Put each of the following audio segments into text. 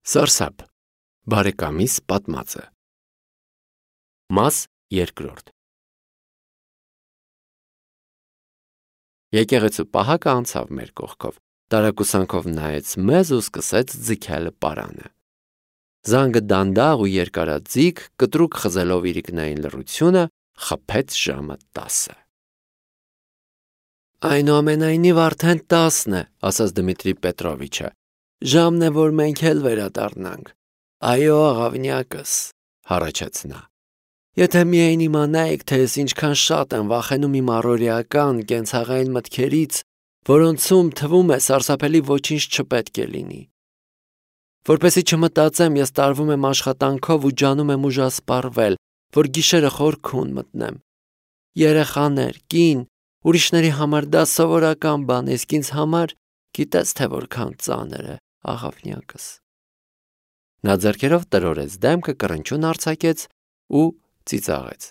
Սարսափ, բարեկամիս պատմածը։ Մաս երկրորդ։ Եկեղեցու պահակը անցավ մեր կողքով, տարակուսանքով նայեց մեզ ու սկսեց ձգել պարանը։ Զանգը դանդաղ ու երկարաձիգ, կտրուկ խզելով իրիկնային լռությունը, խփեց ժամը 10-ը։ Այնուամենայնիվ արդեն 10-ն է, ասաց Դմիտրի Պետրովիչը։ Ժամն է, որ մենք էլ վերադառնանք։ Այո, աղավնյակս, հառաչեց նա։ Եթե միայն իմանայիք, թե ես ինչքան շատ եմ վախենում իմ առօրեական կենցաղային մտքերից, որոնցում թվում է սարսափելի ոչինչ չպետք է լինի։ Որպեսզի չմտածեմ, ես տարվում եմ աշխատանքով ու ջանում եմ ուժասպառվել, որ գիշերը խորքուն մտնեմ։ Երեխաներ, կին, ուրիշների համար դա սովորական բան, իսկ ինձ համար գիտես թե որքան ծանր է, աղավնյակս։ Նա ձեռքերով տրորեց դեմքը, կռնչուն արձակեց ու ծիծաղեց։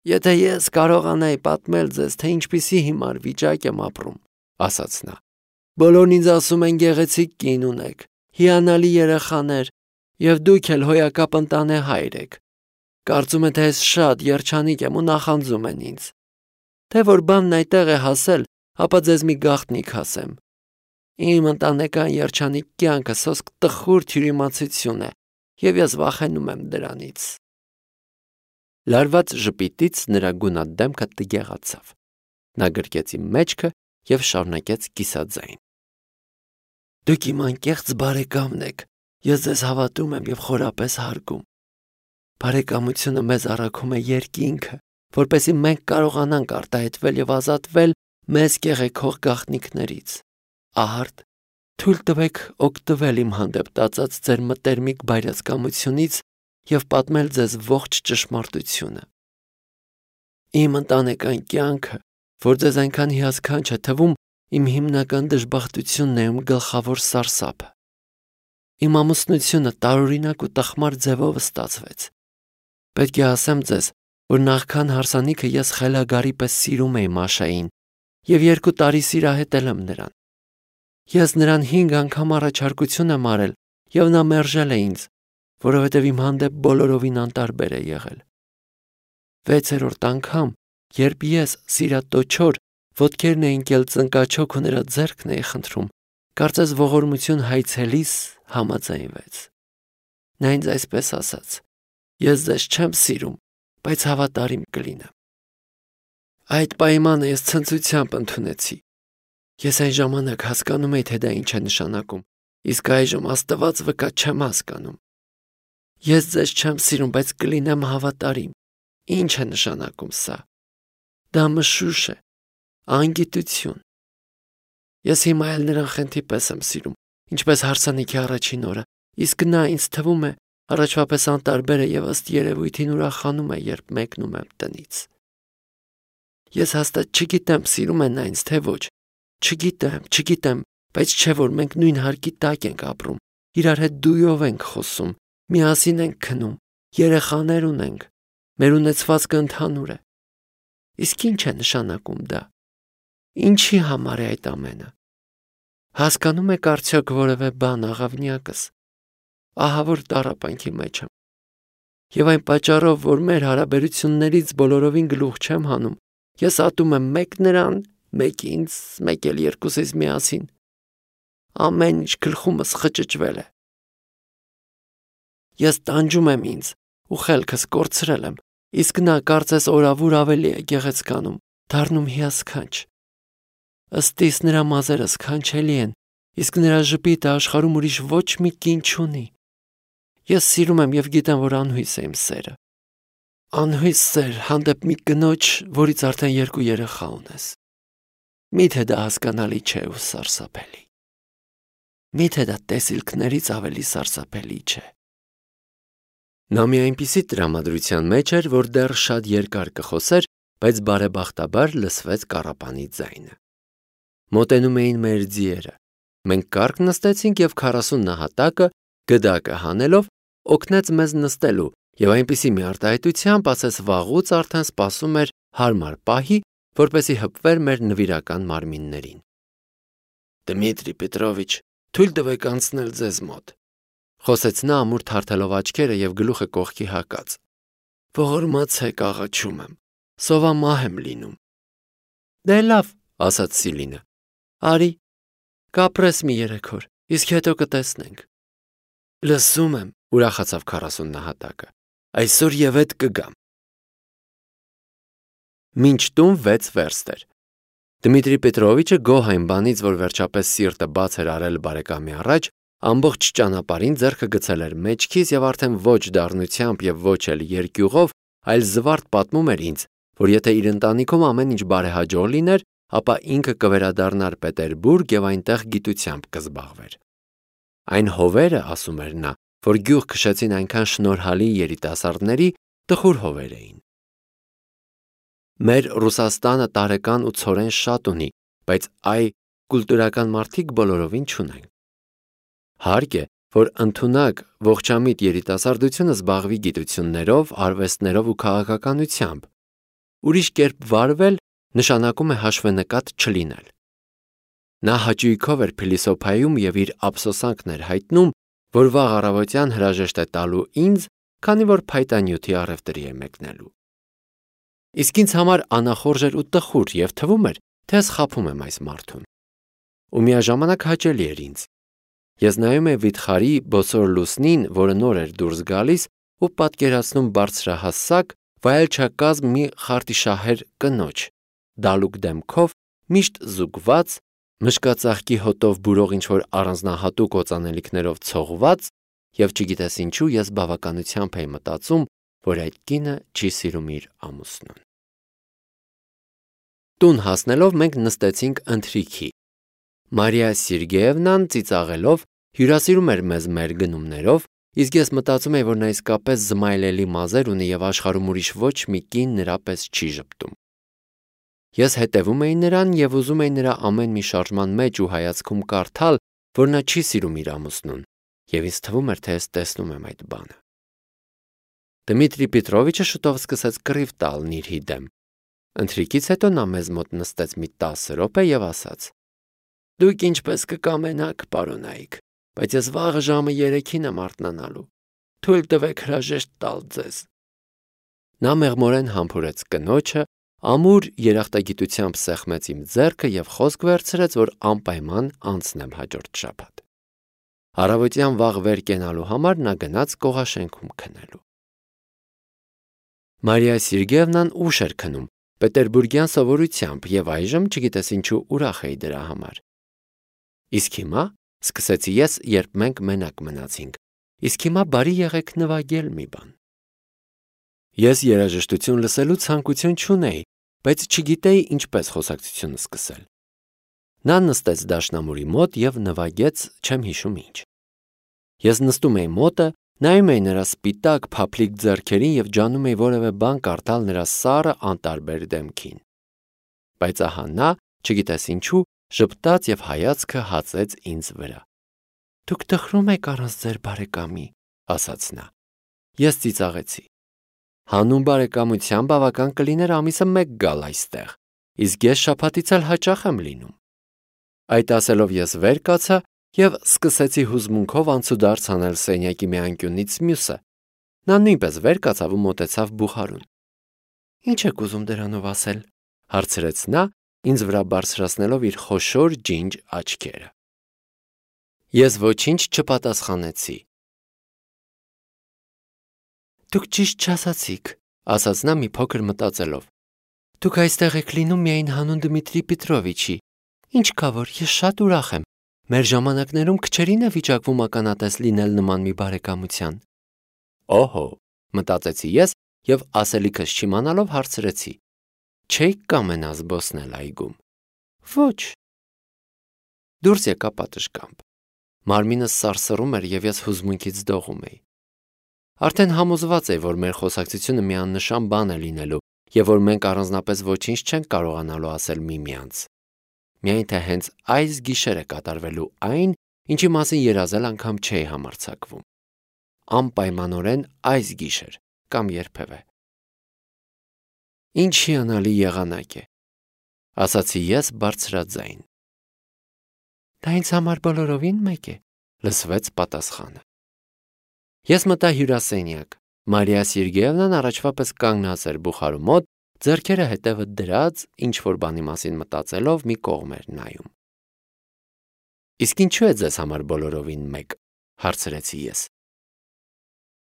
Եթե ես կարողանայի պատմել ձեզ, թե ինչպիսի հիմար վիճակ եմ ապրում, ասաց նա։ Բոլորն ինձ ասում են գեղեցիկ կին ունեք, հիանալի երեխաներ, եւ դուք էլ հոյակապ ընտանեհայր եք։ Կարծում են, թե ես շատ երջանիկ եմ ու նախանձում են ինձ։ Թե որ բանն այդտեղ է հասել, ապա ձեզ մի գաղտնիք ասեմ։ Իմ ընտանեկան երջանիկ կյանքը սոսկ տխուր թյուրիմացություն է, եւ ես վախենում եմ դրանից։ Լարված ժպիտից նրա գունատ դեմքը տգեղացավ։ Նա գրկեց իմ մեջքը եւ շարունակեց կիսաձայն։ Դուք իմ անկեղծ բարեկամն եք, ես ձեզ հավատում եմ եւ խորապես հարգում։ Բարեկամությունը մեզ առաքում է երկինքը, որպեսզի մենք կարողանանք արտահայտվել եւ ազատվել մեզ կեղեքող գաղտնիքներից։ Ահարտ, թույլ տվեք օգտվել իմ հանդեպ տածած ձեր մտերմիկ բայրացկամությունից եւ պատմել ձեզ ողջ ճշմարտությունը։ Իմ ընտանեկան կյանքը, որ ձեզ այնքան հիասքանչ է թվում, իմ հիմնական դժբախտությունն է, իմ գլխավոր սարսափը։ Իմ ամուսնությունը տարօրինակ ու տխմար ձևով ստացվեց։ Պետք է ասեմ ձեզ, որ նախքան հարսանիքը ես խելագարի պես սիրում էի Մաշային եւ 2 տարի սիրահետել եմ նրան։ Ես նրան 5 անգամ առաջարկություն եմ արել եւ նա մերժել է ինձ, որովհետեւ իմ հանդեպ բոլորովին անտարբեր է եղել։ 6-րդ անգամ, երբ ես սիրատոչոր ոտքերն էին կել ծնկաչոք ու նրա ձեռքն էի խնդրում, կարծես ողորմություն հայցելիս համաձայնվեց։ Նա ինձ այսպես ասաց. Ես ձեզ չեմ սիրում, բայց հավատարիմ կլինեմ։ Այդ պայմանը ես ցնծությամբ ընդունեցի։ Ես այն ժամանակ հասկանում էի, թե դա ինչ է նշանակում, իսկ այժմ Աստված վկա չեմ հասկանում։ Ես ձեզ չեմ սիրում, բայց կլինեմ հավատարիմ։ Ինչ է նշանակում սա։ Դա մշուշ է, անգիտություն։ Ես հիմա էլ նրան խենթի պես եմ սիրում, ինչպես հարսանիքի առաջին օրը, իսկ նա ինձ թվում է առաջվա պես անտարբեր է եւ ըստ երևույթին ուրախանում է, երբ մեկնում եմ տնից։ Ես հաստատ չգիտեմ սիրում է նա ինձ, թե ոչ։ Չգիտեմ, բայց չէ որ մենք նույն հարկի տակ ենք ապրում, իրար հետ դույով ենք խոսում, միասին ենք քնում, երեխաներ ունենք, մեր ունեցվածքը ընդհանուր է։ Իսկ ինչ է նշանակում դա։ Ինչի համար է այդ ամենը։ Հասկանում եք արդյոք որևէ բան, աղավնյակս։ Ահա որ տառապանքի մեջ եմ։ Եվ այն պատճառով, որ մեր հարաբերություններից բոլորովին գլուխ չեմ հանում, ես ատում եմ մեկ նրան, մեկ ինձ, մեկ էլ երկուսիս միասին։ Ամեն ինչ գլխումս խճճվել է։ Ես տանջում եմ ինձ ու խելքս կորցրել եմ, իսկ նա կարծես օրավուր ավելի է գեղեցկանում, դառնում հիասքանչ։ Ըստիս նրա մազերը սքանչելի են, իսկ նրա ժպիտը աշխարհում ուրիշ ոչ մի կին չունի։ Ես սիրում եմ եւ գիտեմ, որ անհույս է իմ սերը։ Անհույս սեր հանդեպ մի կնոջ, որից արդեն 2 երեխա ունես։ Միթե դա հասկանալի չէ ու սարսափելի։ Միթե դա տեսիլքներից ավելի սարսափելի չէ։ Նա մի այնպիսի տրամադրության մեջ էր, որ դեռ շատ երկար կխոսեր, բայց բարեբախտաբար լսվեց կառապանի ձայնը։ Մոտենում էին մեր ձիերը։ Մենք կառք նստեցինք եւ 40 նահատակը, գդակը հանելով, օգնեց մեզ նստելու եւ այնպիսի մի արտահայտությամբ ասես վաղուց արդեն սպասում էր հարմար պահի, որպեսի հպվեր մեր նվիրական մարմիններին։ Դմիտրի Պետրովիչ, թույլ տվեք անցնել ձեզ մոտ։ Խոսեց նա ամուր թարթելով աչքերը եւ գլուխը կողքի հակած։ Ողորմացեք, աղաչում եմ, սովամահ եմ լինում։ Դե լավ, ասաց Սիլինը։ Արի, կապրես մի 3 օր, իսկ հետո կտեսնենք։ Լսում եմ, ուրախացավ 40 նահատակը։ Այսօր եւ այդ կգամ։ Մինչ տուն 6 վերստ էր։ Դմիտրի Պետրովիչը գոհ այն բանից, որ վերջապես սիրտը բաց էր արել բարեկամի առաջ, ամբողջ ճանապարհին ձեռքը գցել էր մեջքիս եւ արդեն ոչ դառնությամբ եւ ոչ էլ երկյուղով, այլ զվարթ պատմում էր ինձ, որ եթե իր ընտանիքում ամեն ինչ բարեհաջող լիներ, ապա ինքը կվերադառնար Պետերբուրգ եւ այնտեղ գիտությամբ կզբաղվեր։ Այն հովերը, ասում էր նա, որ գյուղ քշեցին այնքան շնորհալի երիտասարդների, տխուր հովեր էին։ Մեր Ռուսաստանը տարեկան ու ցորեն շատ ունի, բայց այ կուլտուրական մարդիկ բոլորովին չունեն։ Հարկ է, որ ընդունակ ողջամիտ երիտասարդությունը զբաղվի գիտություններով, արվեստներով ու քաղաքականությամբ։ Ուրիշ կերպ վարվել նշանակում է հաշվենկատ չլինել։ Նա հաճույքով էր փիլիսոփայում եւ իր ափսոսանքն էր հայտնում, որ վաղ առավոտյան հրաժեշտ է տալու ինձ, քանի որ փայտանյութի առևտրի է մեկնելու։ Իսկ ինձ համար անախորժ էր ու տխուր եւ թվում էր, թե սխափում եմ այս մարդուն։ Ու միաժամանակ հաճելի էր ինձ։ Ես նայում եմ վիթխարի բոսոր լուսնին, որը նոր էր դուրս գալիս, ու պատկերացնում բարձրահասակ, վայելչակազմ մի խարտիշահեր կնոջ, դալուկ դեմքով, միշտ զուգված, մշկածաղկի հոտով բուրող ինչ-որ առանձնահատուկ օծանելիքներով ցողված, եւ չգիտես ինչու ես բավականությամբ էի մտածում, որ այդ կինը չի սիրում իր ամուսնուն։ Տուն հասնելով մենք նստեցինք ընթրիքի։ Մարիա Սերգեևնան ծիծաղելով հյուրասիրում էր մեզ մեր գնումներով, իսկ ես մտածում էի, որ նա իսկապես զմայլելի մազեր ունի եւ աշխարհում ուրիշ ոչ մի կին նրա պես չի ժպտում։ Ես հետևում էի նրան եւ ուզում էի նրա ամեն մի շարժման մեջ ու հայացքում կարդալ, որ նա չի սիրում իր ամուսնուն, եւ ինձ թվում էր, թե ես տեսնում եմ այդ բանը։ Դմիտրի Պետրովիչը շուտով սկսեց կռիվ տալ Նիրհի դեմ։ Ընթրիքից հետո նա մեզ մոտ նստեց մի 10 րոպե եւ ասաց. Դուք ինչպես կկամենաք, պարոնայք, բայց ես վաղը ժամը 3-ին եմ արթնանալու։ Թույլ տվեք հրաժեշտ տալ ձեզ։ Նա մեղմորեն համբուրեց կնոջը, ամուր երախտագիտությամբ սեղմեց իմ ձեռքը եւ խոսք վերցրեց, որ անպայման անցնեմ հաջորդ շաբաթ։ Առավոտյան վաղ վեր կենալու համար նա գնաց կողաշենքում քնելու։ Մարիա Սերգեևնան ուշ էր քնում, պետերբուրգյան սովորությամբ եւ այժմ չգիտես ինչու ուրախ էի դրա համար։ Իսկ հիմա, սկսեցի ես, երբ մենք մենակ մնացինք, իսկ հիմա բարի եղեք նվագել մի բան։ Ես երաժշտություն լսելու ցանկություն չունեի, բայց չգիտեի ինչպես խոսակցությունը սկսել։ Նա նստեց դաշնամուրի մոտ եւ նվագեց, չեմ հիշում ինչ։ Ես նստում էի մոտը, նայում էի նրա սպիտակ փափլիկ ձեռքերին եւ ջանում էի որևէ բան կարդալ նրա սառը անտարբեր դեմքին։ Բայց ահա նա, չգիտես ինչու, ժպտաց եւ հայացքը հացեց ինձ վրա։ Դուք տխրում եք առանց ձեր բարեկամի, ասաց նա։ Ես ծիծաղեցի։ Հանուն բարեկամության բավական կլիներ ամիսը 1 գալ այստեղ, իսկ ես շաբաթից էլ հաճախ եմ լինում։ Այդ ասելով ես վեր կացա եւ սկսեցի հուզմունքով անցուդարձ անել սենյակի մի անկյունից մյուսը։ Նա նույնպես վեր կացավ ու մոտեցավ բուխարուն։ Ինչ եք ուզում դրանով ասել, հարցրեց նա, ինձ վրա բարձրացնելով իր խոշոր ջինջ աչքերը։ Ես ոչինչ չպատասխանեցի։ Դուք ճիշտ չասացիք, ասաց նա մի փոքր մտածելով։ Դուք այստեղ եք լինում միայն հանուն Դմիտրի Պետրովիչի։ Ինչ կա որ ես շատ ուրախ եմ։ Մեր ժամանակներում քչերին է վիճակվում ականատես լինել նման մի բարեկամության։ Օհո, մտածեցի ես եւ ասելիքս չիմանալով հարցրեցի. Չեք կամենա զբոսնել այգում։ Ոչ։ Դուրս եկա պատշգամբ։ Մարմինս սարսռում էր եւ ես հուզմունքից դողում էի։ Արդեն համոզված էի, որ մեր խոսակցությունը միանշան բան է լինելու եւ որ մենք առանձնապես ոչինչ չենք կարողանալու ասել միմյանց։ Միայն թե հենց այս գիշերը կատարվելու այն, ինչի մասին երազել անգամ չէի համարձակվում։ Անպայմանորեն այս գիշեր կամ երբևէ։ Ինչ հիանալի եղանակ է, ասացի ես բարձրաձայն։ Դա ինձ համար բոլորովին մեկ է, լսվեց պատասխանը։ Ես մտա հյուրասենյակ։ Մարիա Սերգեևնան առաջվա պես կանգնած էր բուխարու մոտ, ձեռքերը հետևը դրած, ինչ-որ բանի մասին մտածելով մի կողմ էր նայում։ Իսկ ինչու է ձեզ համար բոլորովին մեկ, հարցրեցի ես։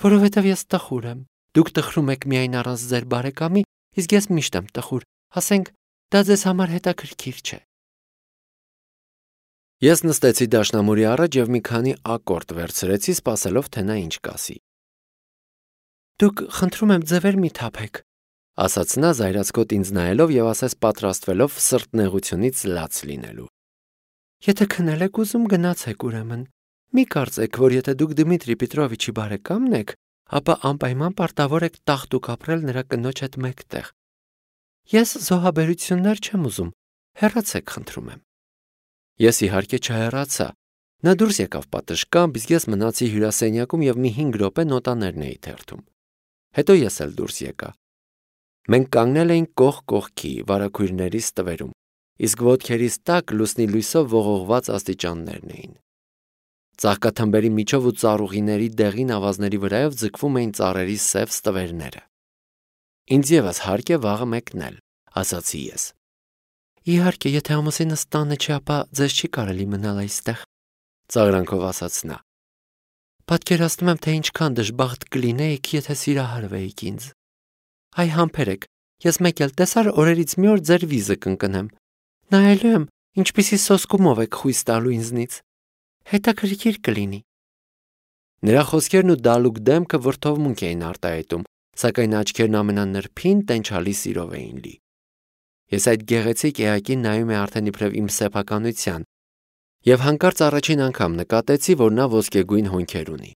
Որովհետև ես տխուր եմ։ Դուք տխրում եք միայն առանց ձեր բարեկամի, իսկ ես միշտ եմ տխուր, ասենք, դա ձեզ համար հետաքրքիր չէ։ Ես նստեցի դաշնամուրի առաջ և մի քանի ակորդ վերցրեցի, սպասելով, թե նա ինչ կասի։ Դուք խնդրում եմ ձևեր մի թափեք, ասաց նա զայրացկոտ ինձ նայելով և ասես պատրաստվելով սրտնեղությունից լաց լինելու։ Եթե քնել եք ուզում, գնացեք ուրեմն։ Մի կարծեք, որ եթե դուք Դմիտրի Պետրովիչի բարեկամն եք, ապա անպայման պարտավոր եք տաղտուկ ապրել նրա կնոջ հետ մեկտեղ։ Ես զոհաբերություններ չեմ ուզում, հեռացեք խնդրում եմ։ Ես իհարկե չհեռացա։ Նա դուրս եկավ պատշգամբ, իսկ ես մնացի հյուրասենյակում և մի 5 րոպե նոտաներն էի թերթում։ Հետո ես էլ դուրս եկա։ Մենք կանգնել էինք կողք կողքի վարագույրների ստվերում, իսկ ոտքերիս տակ լուսնի լույսով ողողված աստիճաններն էին։ Ծաղկաթմբերի միջով ու ծառուղիների դեղին ավազների վրայով ձգվում էին ծառերի սև ստվերները։ Ինձ ևս հարկ է վաղը մեկնել, ասացի ես։ Իհարկե, եթե ամուսինս տանը չի, ապա ձեզ չի կարելի մնալ այստեղ, ծաղրանքով ասաց նա։ Պատկերացնում եմ, թե ինչքան դժբախտ կլինեիք, եթե սիրահարվեիք ինձ։ Այ համբերեք, ես մեկ էլ տեսար օրերից մի օր ձեր վիզը կընկնեմ։ Նայելու եմ, ինչպիսի սոսկումով եք խույս տալու ինձնից։ Հետաքրքիր կլինի։ Նրա խոսքերն ու դալուկ դեմքը վրդովմունք էին արտահայտում, սակայն աչքերն ամենանրբին տենչալի սիրով էին լի։ Ես այդ գեղեցիկ էակին նայում եմ արդեն իբրև իմ սեփականության, և հանկարծ առաջին անգամ նկատեցի, որ նա ոսկեգույն հոնքեր ունի։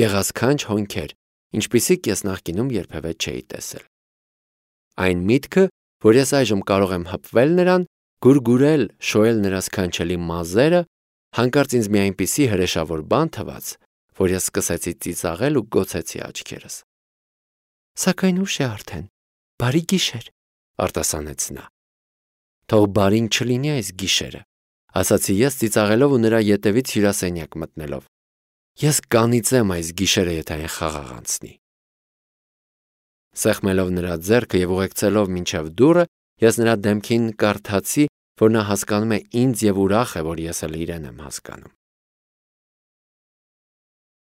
Գեղասքանչ հոնքեր, ինչպիսիք ես նախկինում երբևէ չէի տեսել։ Այն միտքը, որ ես այժմ կարող եմ հպվել նրան, գուրգուրել, շոյել նրա սքանչելի մազերը, հանկարծ ինձ մի այնպիսի հրեշավոր բան թվաց, որ ես սկսեցի ծիծաղել ու գոցեցի աչքերս։ Սակայն ուշ է արդեն, բարի գիշեր, արտասանեց նա։ Թող բարին չլինի այս գիշերը, ասացի ես ծիծաղելով ու նրա ետևից հյուրասենյակ մտնելով։ Ես կանիծեմ այս գիշերը, եթե այն խաղաղ անցնի։ Սեղմելով նրա ձեռքը և ուղեկցելով մինչև դուռը, ես նրա դեմքին կարդացի, որ նա հասկանում է ինձ և ուրախ է, որ ես էլ իրեն եմ հասկանում։